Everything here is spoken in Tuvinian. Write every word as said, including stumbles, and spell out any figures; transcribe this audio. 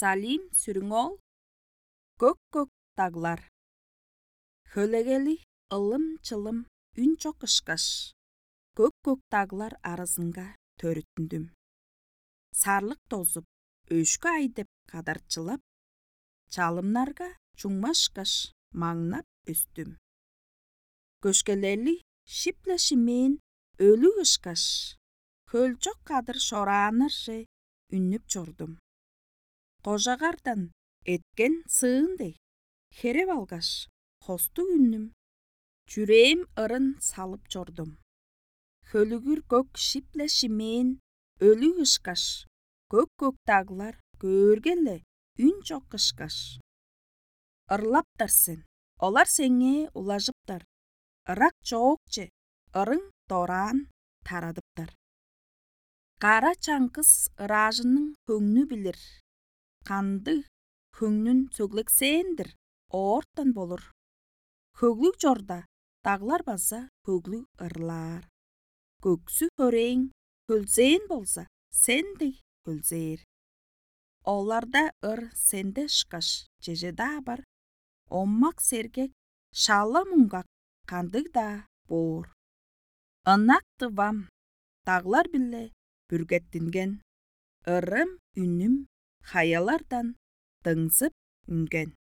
Салим Сүрүң-оол. Көк-көк даглар. Хөлегели ылым-чылым үн чок ышкаш, көк-көк даглар аразынга төрүттүндүм. Сарлык дозуп, өшкү ай деп кадарчылап, чалымнарга чуңмашкаш, маңнап өстүм. Көшкелели шип-ле шимээн өлүг ышкаш, хөлчок кадыр шорааннарже үннүп чордум. Кожагардан эткен сыын дег, хереп алгаш, хостуг үннүм, чүрээм ырын салып чордум. Хөлүгүр көк шип-ле шимээн өлүг ышкаш, көк-көк даглар көөрге-ле үн чок ышкаш. Ырлаптар сен, олар сеңээ улажыптар, ырак чоокче ырың дораан тарадыптар. Кара чаңгыс ыраажының хөңнү билир, кандыг хөңнүн сөглексээн-дир, оортан болур. Хөглүг чорда, даглар база хөглүг ырлаар. Көксү хөрээң хөлзээн болза, сен дег хөлзээр. Оларда ыр сенде ышкаш чеже-даа бар, омак-сергек, шала-муңгак кандыг-даа боор. Ынак Тывам, даглар-биле бүргеттинген, ырым-үнүм хаялардан дыңзып үнген.